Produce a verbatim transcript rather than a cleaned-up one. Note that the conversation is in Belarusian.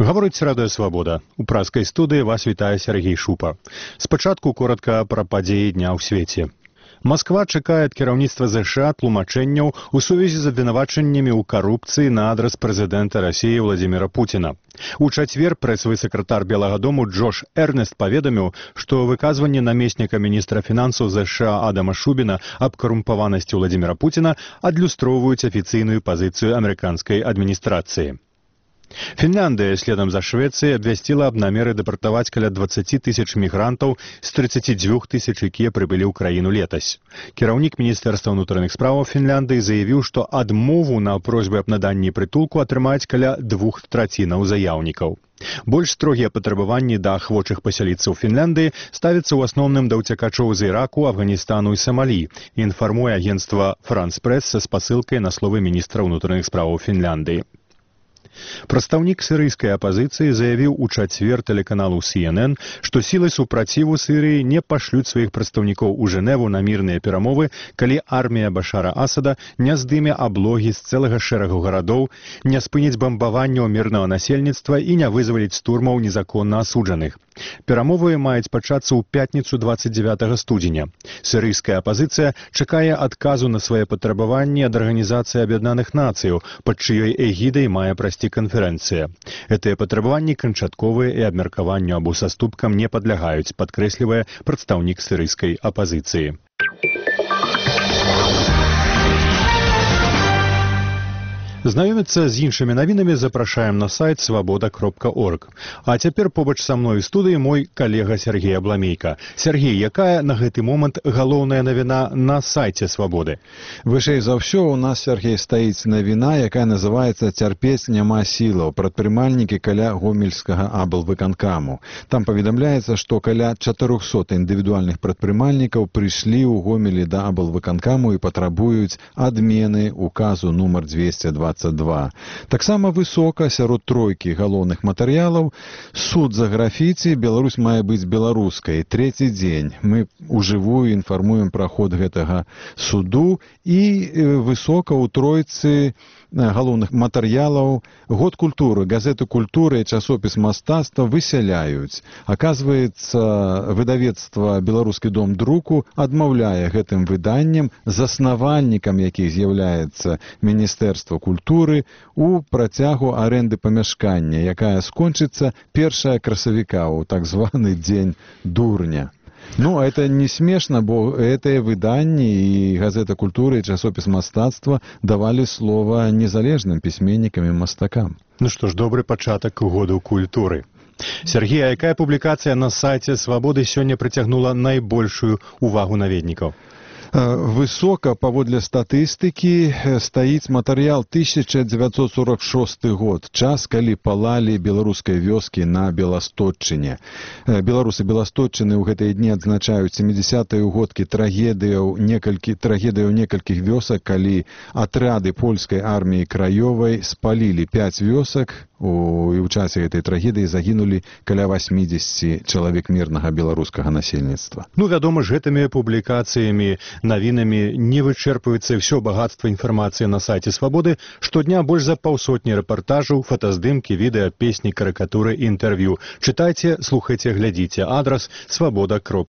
Гаворыць Радыё Свабода. У праскай студыі вас вітае Сергей Шупа. Спачатку коротка пра падзеі дня ў свеце. Масква чакае ад кіраўніцтва ЗША тлумачэнняў у сувязі з абвінавачаннямі ў карупцыі на адрас прэзідэнта Расіі Владзіміра Пуціна. У чацвер прэсавы сакратар Белага дому Джош Эрнест паведаміў, што выказванне намесніка міністра фінансаў ЗША Адама Шубіна аб карумпаванасці Владзіміра Пуціна адлюстроўваюць афіцыйную пазіцыю амерыканскай адміністрацыі. Фінляндыя, следам за Швецыяй, абвясціла аб намеры дэпартаваць каля дваццаць тысяч мігрантаў з трыццаць дзвюх тысяч, якія прыбылі ў краіну летась. Кіраўнік Міністэрства ўнутраных спраўаў Фінляндыі заявіў, што адмову на просьбы аб наданні прытулку атрымаюць каля двух трацінаў заяўнікаў. Больш строгія патрабаванні да ахвочых пасяліцца ў Фінляндыі ставяцца ў асноўным да ўцякачоў з Іраку, Афганістану і Самалі, інфармуе агенцтва «Франс Прэс» са спасылкай на словы міністра ўнутраных спраўаў Фінляндыі. Прадстаўнік сірыйскай апазіцыі заявіў у чацвер тэлеканалу Си Эн Эн, што сілы супраціву Сірыі не пашлюць сваіх прадстаўнікоў у Жэневу на мірныя перамовы, калі армія Башара Асада не здыме аблогі з цэлага шэрагу гарадоў, не спыніць бамбаванняў мірнага насельніцтва і не вызваліць штурмаў незаконна асуджаных. Перамовы маюць пачацца ў пятніцу дваццаць дзевятага студзеня. Сірыйская апазіцыя чакае адказу на свае патрабаванні ад Арганізацыі Аб'яднаных Нацыяў, пад чыёй эгідай мае прайсці канферэнцыя. Гэтыя патрабаванні канчатковыя і абмеркаванню або саступкам не падлягаюць, падкрэслівае прадстаўнік сірыйскай апазіцыі. Знаёміцца з іншымі навінамі запрашаем на сайт свабода кропка орг. А цяпер побач са мной у студыі мой калега Сергей Абламейка. Сергей, якая на гэты момант галоўная навіна на сайце Свабоды? Вышэй за ўсё у нас, Сергей, стаіць навіна, якая называецца «Цярпець няма сілаў». Прадпрымальнікі каля гомельскага аблвыканкаму. Там паведамляецца, што каля чатырохсот індывідуальных прадпрымальнікаў прыйшлі ў Гомелі да аблвыканкаму і патрабуюць адмены указу нумар двесце дваццаць два. Таксама высока сярод тройкі галоўных матэрыялаў суд за графіці «Беларусь мае быць беларускай». Трэці дзень мы ўжывую інфармуем пра ход гэтага суду і высока ў тройцы галоўных матэрыялаў год культуры, газеты культуры і часопіс мастацтва высяляюць. Аказваецца, выдавецтва «Беларускі дом друку» адмаўляе гэтым выданнем, заснавальнікам якіх з'яўляецца Міністэрства культуры, у працягу арэнды памяшкання, якая скончыцца першага красавіка ў так званы дзень дурня. Ну, это не смешна, бо гэтыя выданні і газета культуры і часопіс мастацтва давалі слова незалежным пісьменнікам і мастакам. Ну што ж, добры пачатак году культуры. Сергей, а якая публікацыя на сайце Свабоды сёння прыцягнула найбольшую увагу наведнікаў? Высока, паводле статыстыкі, стаіць матэрыял тысяча дзевяцьсот сорок шосты год, час, калі палалі беларускай вёскі на Беластотчыне. Беларусы Беластотчыны ў гэтыя дні адзначаюць сямідзясятыя ўгодкі трагедыяў некалькі трагедыяў некалькіх вёсак, калі атрады польскай арміі краёвай спалілі пяць вёсак, у, і ў часе гэтай трагедыі загінулі каля васьмідзесяці чалавек мірнага беларускага насельніцтва. Ну, вядома ж, гэтымі публікацыямі, навінамі не вычэрпваецца ўсё багатства інфармацыі на сайце Свабоды. Штодня больш за паўсотні рэпартажаў, фотаздымкі, відэа, песні, карыкатуры і інтэрв'ю. Чытайце, слухайце, глядзіце. Адрас свабода кропка орг.